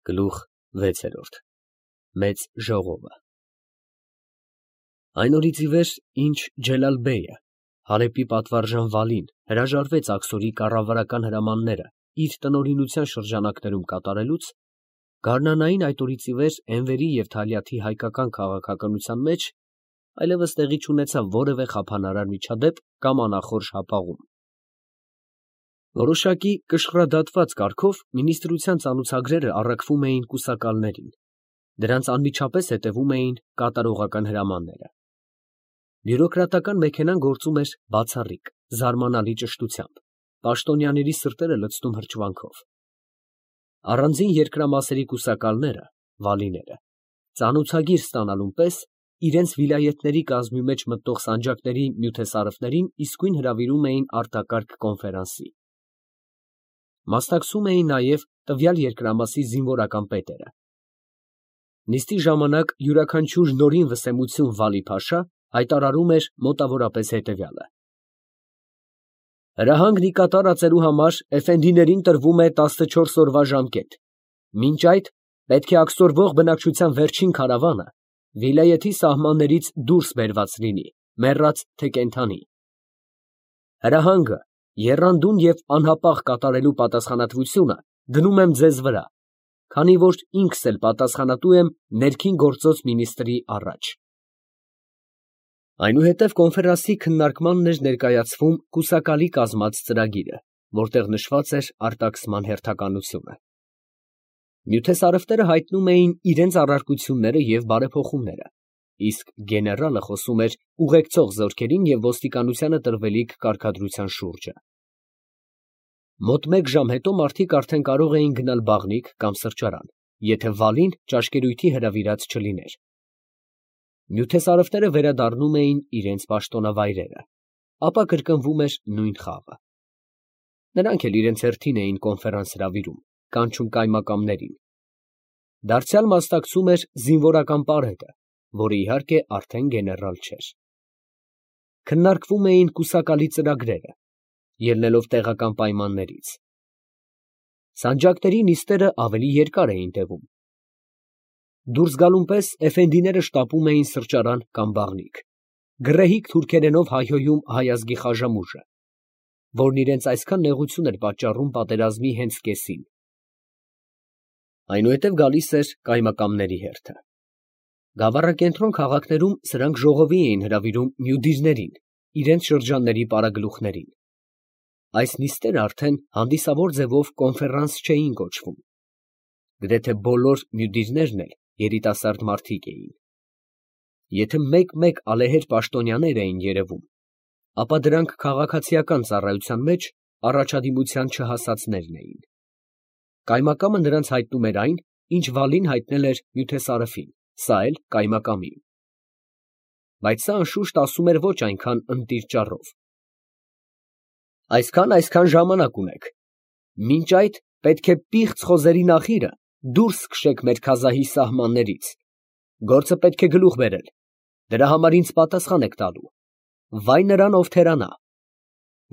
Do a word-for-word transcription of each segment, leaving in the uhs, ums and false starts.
Գլուխ վեցերորդ Մեծ ժողովը Այն օրից ի վեր, ինչ Ջելալ֊բեյը, Հալեբի պատվարժան Վալին հրաժարվեց աքսորի կառավարական հրամանները իր տնօրինության շրջանակներում կատարելուց, գարնանային այդ օրից ի վեր Էնվերի և Թալյաթի հայկական քաղաքականության մեջ այլևս տեղի չունեցավ որևէ խափանարար միջադեպ կամ անախորժ հապաղում։ Որոշակի կշռադատված կարգով մինիստրության ծանուցագրերը առաքվում էին կուսակալներին, դրանց անմիջապես հետևում էին կատարողական հրամանները։ Բյուրոկրատական մեքենան գործում էր բացառիկ, զարմանալի ճշտությամբ, պաշտոնյաների սրտերը լցնում հրճվանքով։ Առանձին երկրամասերի կուսակալները, վալիները, ծանուցագիր ստանալուն պես իրենց վիլայեթների կազմի մեջ մտող սանջակների նյութեսարևներին իսկույն հրավիրում էին արտակարգ կոնֆերանսի։ Մասնակցում էին նաև տվյալ երկրամասի զինվորական պետերը։ Նիստի ժամանակ յուրաքանչյուր նորին վսեմություն Վալի֊Փաշա հայտարարում էր մոտավորապես հետևյալը. Հրահանգն ի կատար ածելու համար էֆենդիներին տրվում է տասնչորս օրվա ժամկետ, մինչ այդ պետք է աքսորվող բնակչության վերջին քարավանը վիլայեթի սահմաններից դուրս բերված լինի, մեռած թե կենդանի։ Հրահանգը եռանդուն և անհապաղ կատարելու պատասխանատվությունը դնում եմ ձեզ վրա, քանի որ ինքս էլ պատասխանատու եմ ներքին գործոց մինիստրի առաջ։ Այնուհետև կոնֆերանսի քննարկմանն էր ներկայացվում կուսակալի կազմած ծրագիրը, որտեղ նշված էր արտաքսման հերթականությունը։ Նյութեսարևները հայտնում էին իրենց առարկությունները և բարեփոխումները, իսկ գեներալը խոսում էր ուղեկցող զորքերին և ոստիկանությանը տրվելիք կարգադրության շուրջը։ Մոտ մեկ ժամ հետո մարդիկ արդեն կարող էին գնալ բաղնիք կամ սրճարան, եթե Վալին ճաշկերույթի հրավիրած չլիներ։ Նյութեսարևները վերադառնում էին իրենց պաշտոնավայրերը, ապա կրկնվում էր նույն խաղը։ Նրանք էլ իրենց հերթին էին կոնֆերանս հրավիրում, կանչում կայմակամներին։ Դարձյալ մասնակցում էր զինվորական պարետը, որը իհարկե արդեն գեներալ չէր։ Քննարկվում էին կուսակալի ծրագրերը, ելնելով տեղական պայմաններից։ Սանջակների նիստերը ավելի երկար էին տևում։ Դուրս գալուն պես էֆենդիները շտապում էին սրճարան կամ բաղնիք, գռեհիկ թուրքերենով հայհոյում հայ ազգի խաժամուժը, որն իրենց այսքան նեղություն էր պատճառում պատերազմի հենց կեսին։ Այնուհետև գալիս էր կայմակամների հերթը։ Գավառակենտրոն քաղաքներում սրանք ժողովի էին հրավիրում մյուդիրներին, իրենց շրջանների պարագլուխներին։ Այս նիստերը արդեն հանդիսավոր ձևով կոնֆերանս չէին կոչվում։ Գրեթե բոլոր մյուդիրներն էլ երիտասարդ մարդիկ էին։ Եթե մեկ֊մեկ ալեհեր պաշտոնյաներ էին երևում, ապա դրանք քաղաքացիական ծառայության մեջ առաջադիմության չհասածներն էին։ Կայմակամը նրանց հայտնում էր այն, ինչ Վալին հայտնել էր նյութեսարևին, սա էլ կայմակամին։ Բայց սա անշուշտ ասում էր ոչ այնքան ընտիր ճառով. Այսքան֊այսքան ժամանակ ունեք, մինչ այդ պետք է պիղծ խոզերի նախիրը դուրս քշեք մեր քազահի սահմաններից, գործը պետք է գլուխ բերել, դրա համար ինձ պատասխան եք տալու, վայ նրան, ով թերանա,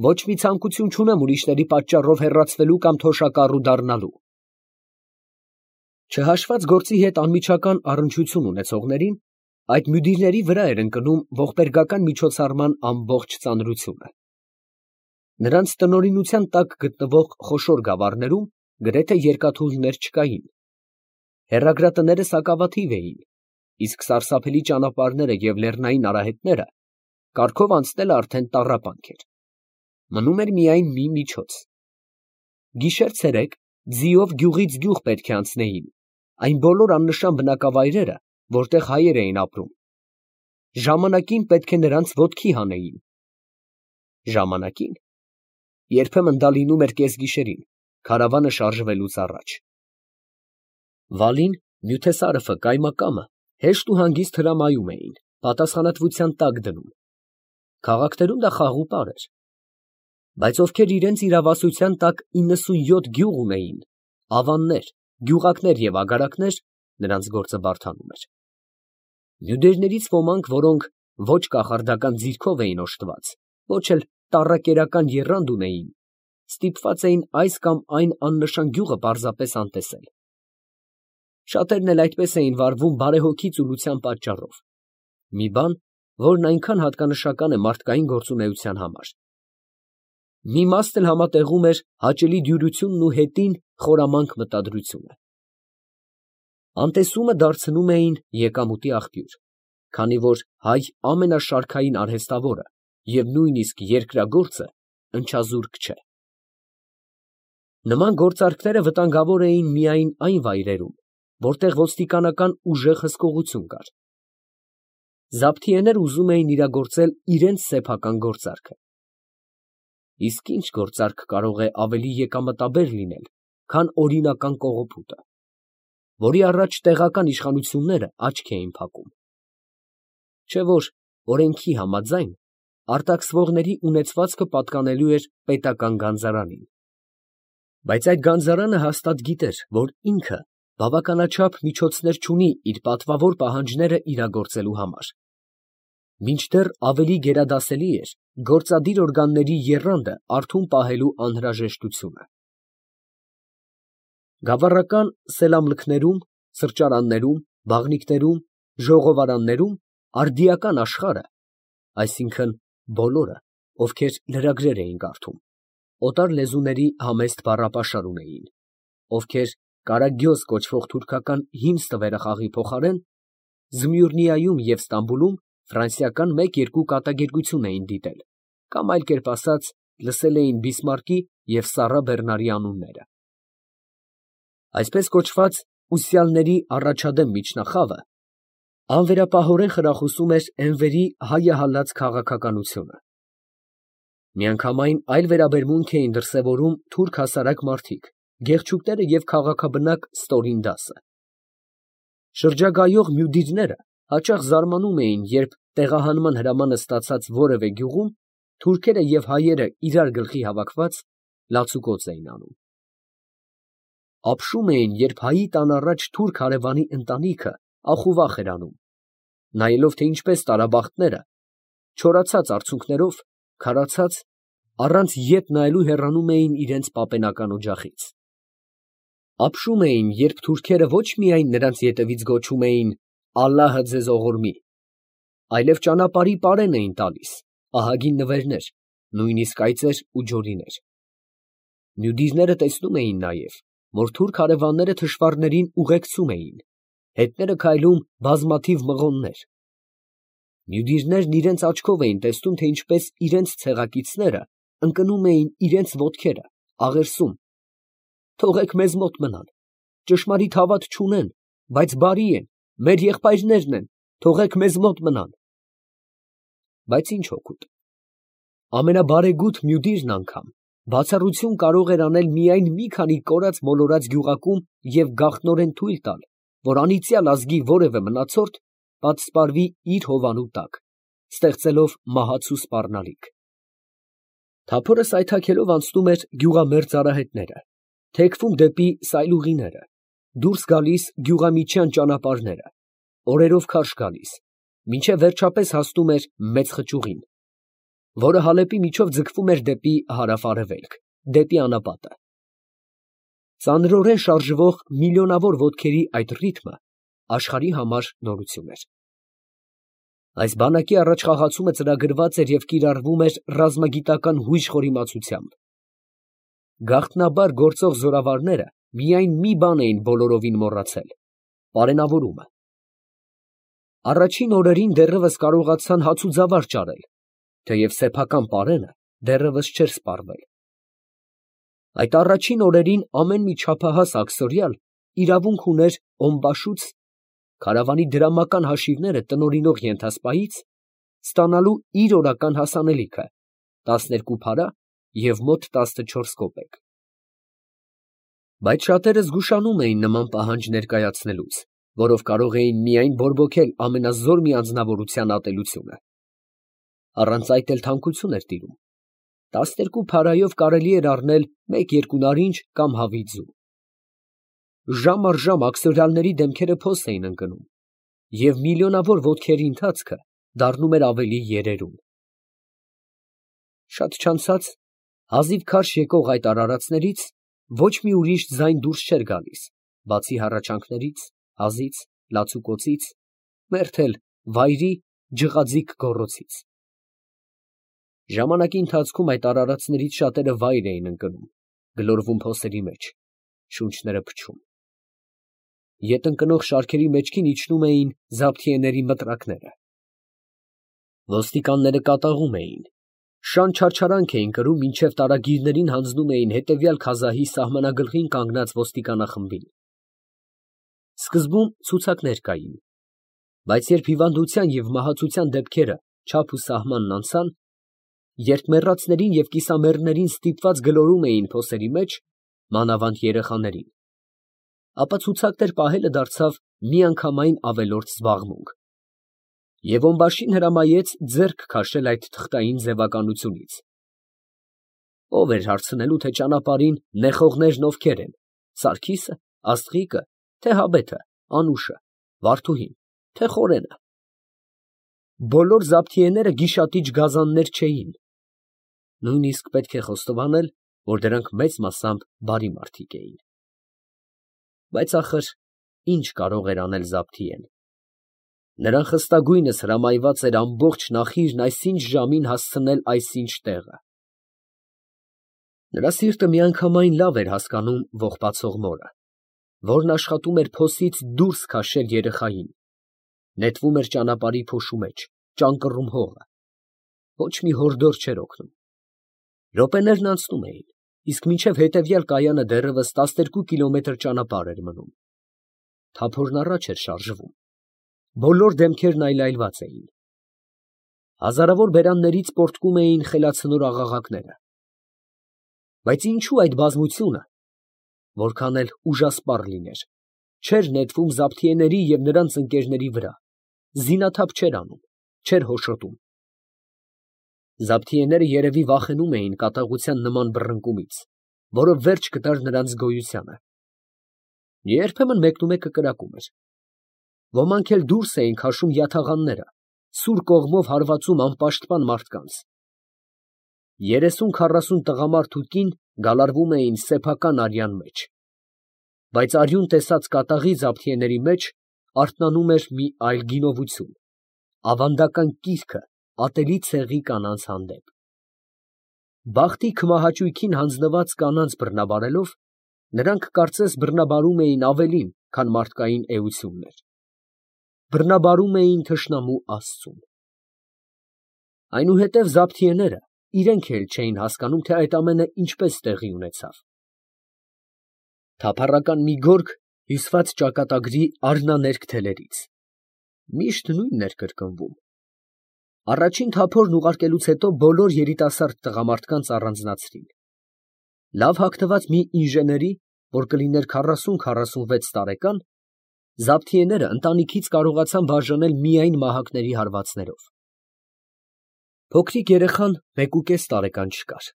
ոչ մի ցանկություն չունեմ ուրիշների պատճառով հեռացվելու կամ թոշակառու դառնալու։ Չհաշված գործի հետ անմիջական առնչություն ունեցողներին, այդ մյուդիրների վրա էր ընկնում ողբերգական միջոցառման ամբողջ ծանրությունը։ Նրանց տնօրինության տակ գտնվող խոշոր գավառներում գրեթե երկաթուղիներ չկային։ Հեռագրատները սակավաթիվ էին, իսկ սարսափելի ճանապարհները և լեռնային արահետները կառքով անցնելը արդեն տառապանք էր։ Մնում էր միայն մի միջոց։ Գիշեր֊ցերեկ ձիով գյուղից գյուղ պետք է անցնեին այն բոլոր աննշան բնակավայրերը, որտեղ հայեր էին ապրում։ Ժամանակին պետք է նրանց ոտքի հանեին։ Ժամանակին։ Երբեմն դա լինում էր կեսգիշերին, քարավանը շարժվելուց առաջ։ Վալին, նյութեսարևը, կայմակամը հեշտ ու հանգիստ հրամայում էին, պատասխանատվության տակ դնում։ Քաղաքներում դա խաղուպար էր։ Բայց ովքեր իրենց իրավասության տակ իննսունյոթ գյուղ ունեին, ավաններ, գյուղակներ և ագարակներ, նրանց գործը բարդանում էր։ Մյուդերներից ոմանք, որոնք ոչ կախարդական ձիրքով էին օժտված, ոչ էլ տառակերական եռանդ ունեին, ստիպված էին այս կամ այն աննշան գյուղը պարզապես անտեսել։ Շատերն էլ այդպես էին վարվում բարեհոգի ծուլության պատճառով, մի բան, որն այնքան հատկանշական է մարդկային գործունեության համար։ Մի մասն էլ համատեղում էր հաճելի դյուրությունն ու հետին խորամանկ մտադրությունը։ Անտեսումը դարձնում էին եկամուտի աղբյուր, քանի որ հայ ամենաշարքային արհեստավորը և նույնիսկ երկրագործը ընչազուրկ չէ։ Նման գործարքները վտանգավոր էին միայն այն վայրերում, որտեղ ոստիկանական ուժեղ հսկողություն կար։ Զաբթիեներ ուզում էին իրագործել իրենց սեփական գործարքը։ Իսկ ի՞նչ գործարք կարող է ավելի եկամտաբեր լինել, քան օրինական կողոպուտը, որի առաջ տեղական իշխանությունները աչք էին փակում։ Չէ՞ որ օրենքի համաձայն արտաքսվողների ունեցվածքը պատկանելու էր պետական գանձարանին։ Բայց այդ գանձարանը հաստատ գիտեր, որ ինքը բավականաչափ միջոցներ չունի իր պատվավոր պահանջները իրագործելու համար։ Մինչդեռ ավելի գերադասելի էր գործադիր օրգանների եռանդը արթուն պահելու անհրաժեշտությունը։ Գավառական սելամլքներում, սրճարաններում, բաղնիքներում, ժողովարաններում արդիական աշխարհը, այսինքն բոլորը, ովքեր լրագրեր էին կարդում, օտար լեզուների համեստ բառապաշար ունեին, ովքեր կարագյոզ կոչվող թուրքական հիմն ստվերախաղի փոխարեն Զմյուռնիայում և Ստամբուլում ֆրանսիական մեկ֊երկու կատակերգություն էին դիտել, կամ այլ կերպ ասած, լսել էին Բիսմարկի և Սառա Բեռնարի անունները։ Այսպես կոչված ուսյալների առաջադեմ միջնախավը անվերապահորեն խրախուսում էր Էնվերի հայահալած քաղաքականությունը։ Միանգամայն այլ վերաբերմունք էին դրսևորում թուրք հասարակ մարդիկ, գեղչուկները և քաղաքաբնակ ստորին դասը։ Շրջագայող մյուդիրները հաճախ զարմանում էին, երբ տեղահանման հրամանը ստացած որևէ գյուղում թուրքերը և հայերը իրար գլխի հավաքված լացուկոծ էին անում։ Ապշում էին, երբ հայի տան առաջ թուրք հարևանի ընտանիքը ախուվախ էր անում, նայելով, թե ինչպես տարաբախտները, չորացած արցունքներով, քարացած, առանց ետ նայելու հեռանում էին իրենց պապենական օջախից։ Ապշում էին, երբ թուրքերը ոչ միայն նրանց ետևից գոչում էին «Ալլահը ձեզ ողորմի», այլև ճանապարհի պարեն էին տալիս, ահագին նվերներ, նույնիսկ այծեր ու ջորիներ։ Մյուդիրները տեսնում էին նաև, որ թուրք հարևանները թշվառներին ուղեկցում էին, հետները քայլում բազմաթիվ մղոններ։ Մյուդիրներն իրենց աչքով էին տեսնում, թե ինչպես իրենց ցեղակիցները ընկնում էին իրենց ոտքերը, աղերսում. «Թողեք մեզ մոտ մնան, ճշմարիտ հավատ չունեն, բայց բարի են, մեր եղբայրներն են, թողեք մեզ մոտ մնան»։ Բայց ի՞նչ օգուտ։ Ամենաբարեգութ մյուդիրն անգամ բացառություն կարող էր անել միայն մի քանի կորած֊մոլորած գյուղակում և գաղտնորեն թույլ տալ, որ անիծյալ ազգի որևէ մնացորդ պատսպարվի իր հովանու տակ, ստեղծելով մահացու սպառնալիք։ Թափորը սայթաքելով անցնում էր գյուղամերձ արահետները, թեքվում դեպի սայլուղիները, դուրս գալիս գյուղամիջյան ճանապարհները, օրերով քարշ գալիս, մինչև վերջապես հասնում էր մեծ խճուղին, որը Հալեպի միջով ձգվում էր դեպի հարավ֊արևելք, դեպի անապատը։ Ծանրորեն շարժվող միլիոնավոր ոտքերի այդ ռիթմը աշխարհի համար նորություն էր։ Այս բանակի առաջխաղացումը ծրագրված էր և կիրառվում էր ռազմագիտական հույժ խորիմացությամբ։ Գաղտնաբար գործող զորավարները միայն մի բան էին բոլորովին մոռացել՝ պարենավորումը։ Առաջին օրերին դեռևս կարողացան հացուձավար ճարել, թեև սեփական պարենը դեռևս չէր սպառվել։ Այդ առաջին օրերին ամեն մի չափահաս աքսորյալ իրավունք ուներ օմբաշուց (քարավանի դրամական հաշիվները տնօրինող ենթասպայից) ստանալու իր օրական հասանելիքը՝ տասներկու փարա և մոտ տասնչորս կոպեկ։ Բայց շատերը զգուշանում էին նման պահանջ ներկայացնելուց, որով կարող էին միայն բորբոքել ամենազոր մի անձնավորության ատելությունը։ Առանց այդ էլ թանկություն էր տիրում. տասներկու փարայով կարելի էր առնել մեկ֊երկու նարինջ կամ հավի ձու։ Ժամ առ ժամ աքսորյալների դեմքերը փոս էին ընկնում, և միլիոնավոր ոտքերի ընթացքը դառնում էր ավելի երերուն։ Շատ չանցած, հազիվ քարշ եկող այդ արարածներից ոչ մի ուրիշ ձայն դուրս չէր գալիս, բացի հառաչանքներից, հազից, լացուկոցից, մերթ էլ վայրի, ջղաձիգ գոռոցից։ Ժամանակի ընթացքում այդ արարածներից շատերը վայր էին ընկնում, գլորվում փոսերի մեջ, շունչները փչում։ Ետ ընկնող շարքերի մեջքին իջնում էին զաբթիեների մտրակները։ Ոստիկանները կատաղում էին, շան չարչարանք էին կրում, մինչև տարագիրներին հանձնում էին հետևյալ քազահի սահմանագլխին կանգնած ոստիկանախմբին։ Սկզբում ցուցակներ կային, բայց երբ հիվանդության և մահացության դեպքերը չափ ու սահմանն անցան, երբ մեռածներին և կիսամեռներին ստիպված գլորում էին փոսերի մեջ, մանավանդ երեխաներին, ապա ցուցակներ պահելը դարձավ միանգամայն ավելորդ զբաղմունք, և օմբաշին հրամայեց ձեռք քաշել այդ թղթային ձևականությունից։ Ո՞վ էր հարցնելու, թե ճանապարհին նեխողներն ովքեր են, Սարգիսը, Աստղիկը, թե Հաբեթը, Անուշը, Վարդուհին, թե Խորենը։ Բոլոր զաբթիեները գիշատիչ գազաններ չէին, նույնիսկ պետք է խոստովանել, որ դրանք մեծ մասամբ բարի մարդիկ էին։ Բայց ախր ի՞նչ կարող էր անել զաբթիեն։ Նրան խստագույնս հրամայված էր ամբողջ նախիրն այսինչ ժամին հասցնել այսինչ տեղը։ Նրա սիրտը միանգամայն լավ էր հասկանում ողբացող մորը, որն աշխատում էր փոսից դուրս քաշել երեխային, նետվում էր ճանապարհի փոշու մեջ, ճանկռում հողը, ոչ մի հորդոր չէր օգնում։ Րոպեներն անցնում էին, իսկ մինչև հետևյալ կայանը դեռևս տասներկու կիլոմետր ճանապարհ էր մնում։ Թափորն առաջ էր շարժվում, բոլոր դեմքերն այլայլված էին։ Հազարավոր բերաններից պոռթկում էին խելացնոր աղաղակները։ Բայց ինչու այդ բազմությունը, որքան էլ ուժասպառ լիներ, չէր նետվում զաբթիեների և նրանց ընկերների վրա, զինաթափ չէր անում, չէր հոշոտում։ Զաբթիեները երևի վախենում էին կատաղության նման բռնկումից, որը վերջ կտար նրանց գոյությանը։ Երբեմն մեկնումեկը կրակում էր։ Ոմանք էլ դուրս էին քաշում յաթաղանները, սուր կողմով հարվածում անպաշտպան մարդկանց։ Երեսուն֊քառասուն տղամարդ ու կին գալարվում էին սեփական արյան մեջ, բայց արյուն տեսած կատաղի զաբթիեների մեջ արթնանում էր մի այլ գինովություն, ավանդական կիրքը ատելի ցեղի կանանց հանդեպ։ Բախտի քմահաճույքին հանձնված կանանց բռնաբարելով, նրանք կարծես բռնաբարում էին ավելին, քան մարդկային էություններ, բռնաբարում էին թշնամու աստծուն։ Այնուհետև զաբթիեները իրենք էլ չէին հասկանում, թե այդ ամենը ինչպես տեղի ունեցավ։ Թափառական մի գորգ հյուսված ճակատագրի արհնաներկ թելերից, միշտ նույնն էր կրկնվում։ Առաջին թափորն ուղարկելուց հետո բոլոր երիտասարդ տղամարդկանց առանձնացրին։ Լավ հագնված մի ինժեների, որ կլիներ քառասուն֊քառասունվեց տարեկան, զաբթիեները ընտանիքից կարողացան բաժանել միայն մահակների հարվածներով։ Փոքրիկ երեխան մեկուկես տարեկան չկար։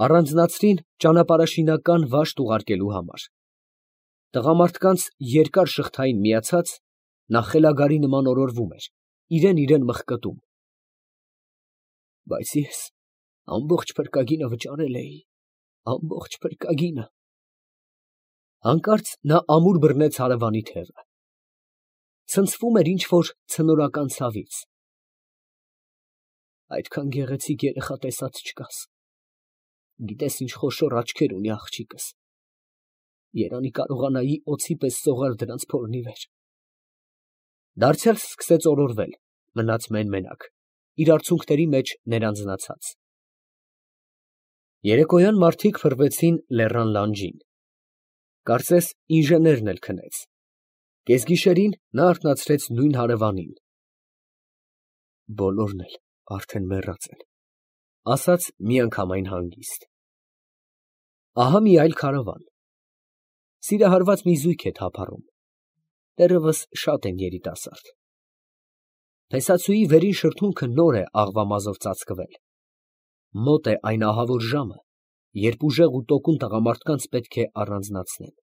Առանձնացրին ճանապարհաշինական վաշտ ուղարկելու համար։ Տղամարդկանց երկար շղթային միացած, նա խելագարի նման օրորվում էր, իրան֊իրան մխկտում։ Բայց ես ամբողջ փրկագինը վճարել էի, ամբողջ փրկագինը։ Հանկարծ նա ամուր բռնեց հարևանի թևը։ Ցնցվում էր ինչ֊որ ցնորական ցավից։ Այդքան գեղեցիկ երեխա տեսած չկաս։ Գիտես ինչ խոշոր աչքեր ունի աղջիկս։ Երանի կարողանայի օձի պես սողալ դրանց փորն ի վեր։ Դարձյալ սկսեց օրորվել, մնաց մեն֊մենակ, իր արցունքների մեջ ներանձնացած։ Երեկոյան մարդիկ փռվեցին լեռան լանջին։ Կարծես ինժեներն էլ քնեց։ Կեսգիշերին նա արթնացրեց նույն հարևանին։ Բոլորն էլ արդեն մեռած են, ասաց միանգամայն հանգիստ։ Ահա մի այլ քարավան։ Սիրահարված մի զույգ է թափառում, դեռևս շատ են երիտասարդ։ Փեսացուի վերին շրթունքը նոր է աղվամազով ծածկվել։ Մոտ է այն ահավոր ժամը, երբ ուժեղ ու տոկուն տղամարդկանց պետք է առանձնացնեն։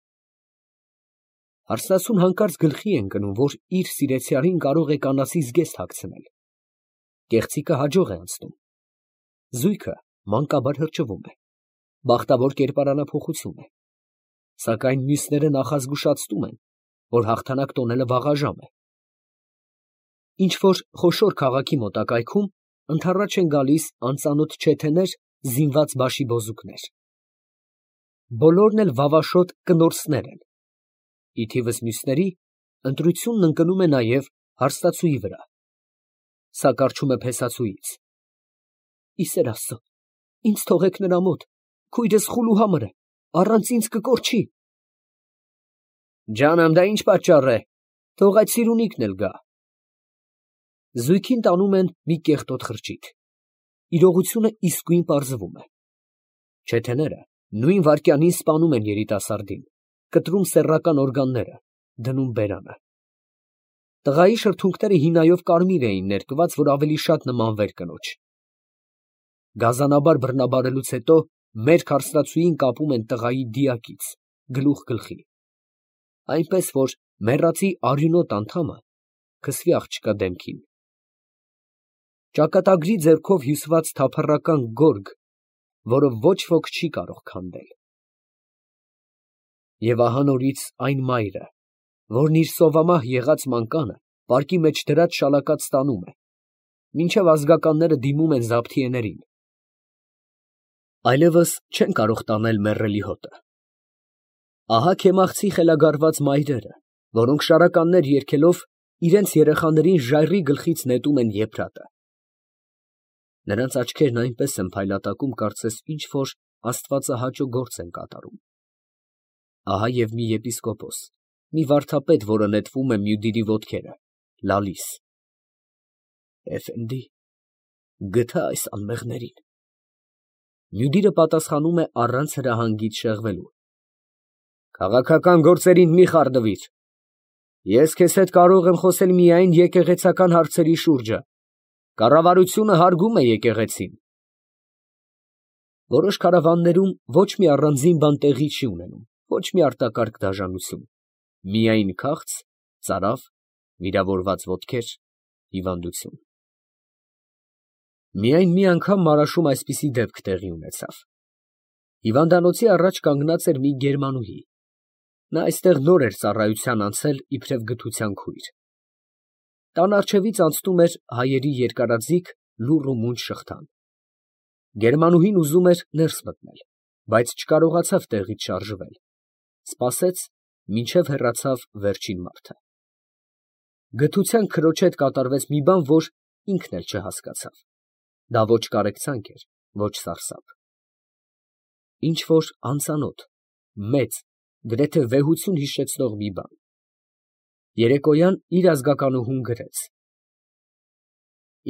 Հարսնացուն հանկարծ գլխի է ընկնում, որ իր սիրեցյալին կարող է կանացի զգեստ հագցնել։ Կեղծիկը հաջող է անցնում։ Զույգը մանկաբար հրճվում է, բախտավոր կերպարանափոխություն է, սակայն մյուսները նախազգուշացնում են, որ հաղթանակ տոնելը վաղաժամ է։ Ինչ-որ խոշոր քաղաքի մոտակայքում ընդառաջ են գալիս անծանոթ չեթեներ, զինված բաշիբոզուկներ։ Բոլորն էլ վավաշոտ կնորսներ են։ Ի թիվս մյուսների, ընտրությունն ընկնում է նաև հարստացուի վրա։ Սա կառչում է փեսացուից։ Ի սեր Աստծո, ինձ թողեք նրա մոտ, քույրս խուլուհամր է, առանց ինձ կկորչի։ Ջանամ, դա ինչ պատճառ է, թող այդ սիրունիքն էլ գա։ Զույգին տանում են մի կեղտոտ խրճիթ։ Իրողությունը իսկույն պարզվում է։ Չեթեները նույն վայրկյանին սպանում են երիտասարդին, կտրում սեռական օրգանները, դնում բերանը։ Տղայի շրթունքները հինայով կարմիր էին ներկված, որ ավելի շատ նմանվեր կնոջ։ Գազանաբար բռնաբարելուց հետո մերկ հարստացուին կապում են տղայի դիակից, գլուխ գլխի, այնպես որ մեռածի արյունոտ անդամը քսվի աղջկա դեմքին։ Ճակատագրի ձեռքով հյուսված թափառական գորգ, որը ոչ ոք չի կարող քանդել։ Եվ ահա նորից այն մայրը, որն իր սովամահ եղած մանկանը պարկի մեջ դրած շալակած տանում է, մինչև ազգականները դիմում են զաբթիեներին։ Այլևս չեն կարող տանել մեռելի հոտը։ Ահա քեմաղցի խելագարված մայրերը, որոնք շարականներ երգելով իրենց երեխաներին ժայռի գլխից նետում են եփրատը։ Նրանց աչքերն այնպես են փայլատակում, կարծես ինչ-որ աստվածահաճո գործ են կատարում։ Ահա և մի եպիսկոպոս, մի վարդապետ, որը նետվում է Մյուդիրի ոտքերը, լալիս։ Էֆենդի, գթա այս անմեղներին։ Մյուդիրը պատասխանում է առանց հրահանգից շեղվելու. Քաղաքական գործերին մի խառնվիր։ Ես քեզ հետ կարող եմ խոսել միայն եկեղեցական հարցերի շուրջը։ Կառավարությունը հարգում է եկեղեցին։ Որոշ քարավաններում ոչ մի առանձին բան տեղի չի ունենում, ոչ մի արտակարգ դաժանություն, միայն քաղց, ծարավ, վիրավորված ոտքեր, հիվանդություն։ Միայն մի անգամ Մարաշում այսպիսի դեպք տեղի ունեցավ։ Հիվանդանոցի առաջ կանգնած էր մի գերմանուհի։ Նա այստեղ նոր էր ծառայության անցել իբրև գթության քույր։ Տան առջևից անցնում էր հայերի երկարաձիգ լուռ ու մունջ շղթան։ Գերմանուհին ուզում էր ներս մտնել, բայց չկարողացավ տեղից շարժվել, սպասեց, մինչև հեռացավ վերջին մարդը։ Գթության քրոջ հետ կատարվեց մի բան, որ ինքն էլ չհասկացավ։ Դա ոչ կարեկցանք էր, ոչ սարսափ։ Ինչ որ անծանոթ, մեծ, գրեթե վեհություն հիշեցնող մի բան։ Երեկոյան իր ազգականուհուն գրեց.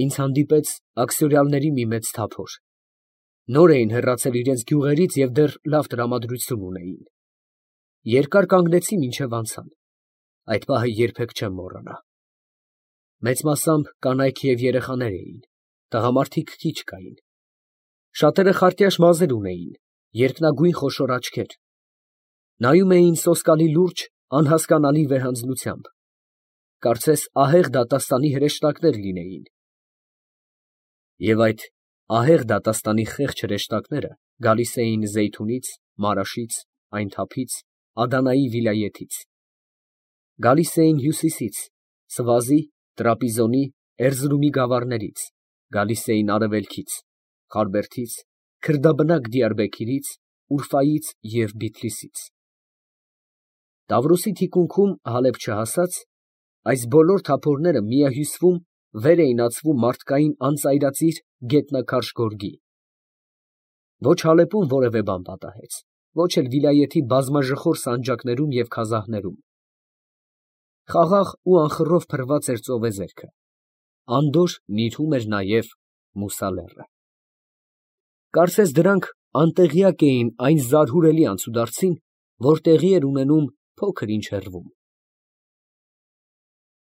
Ինձ հանդիպեց աքսորիալների մի մեծ թափոր։ Նոր էին հեռացել իրենց գյուղերից և դեռ լավ տրամադրություն ունեին։ Երկար կանգնեցի, մինչև անցան։ Այդ պահը երբեք չեմ մոռանա։ Մեծ մասամբ կանայք և երեխաներ էին, տղամարդիկ քիչ կային։ Շատերը խարտյաշ մազեր ունեին, երկնագույն խոշոր աչքեր։ Նայում էին սոսկալի լուրջ, անհասկանալի վեհանձնությամբ, կարծես ահեղ դատաստանի հրեշտակներ լինեին։ Եվ այդ ահեղ դատաստանի խեղճ հրեշտակները գալիս էին Զեյթունից, Մարաշից, այն թափից, Ադանայի վիլայեթից։ Գալիս էին հյուսիսից, Սվազի, Տրապիզոնի, Էրզրումի գավառներից, գալիս էին արևելքից, Խարբերդից, քրդաբնակ Դիարբեքիրից, Ուրֆայից և Բիթլիսից։ Տավրոսի թիկունքում Հալեբ չհասած, այս բոլոր թափորները միահյուսվում վեր էին ածվում մարդկային անծայրածիր գետնաքարշ գորգի։ Ոչ Հալեպում որևէ բան պատահեց, ոչ էլ վիլայեթի բազմաժխոր սանջակներում և քազահներում։ Խաղաղ ու անխռով փռված էր ծովեզերքը, անդորր նիրհում էր նաև Մուսա լեռը։ Կարծես դրանք անտեղյակ էին այն զարհուրելի անցուդարձին, որ տեղի էր ունենում փոքր ինչ հեռվում։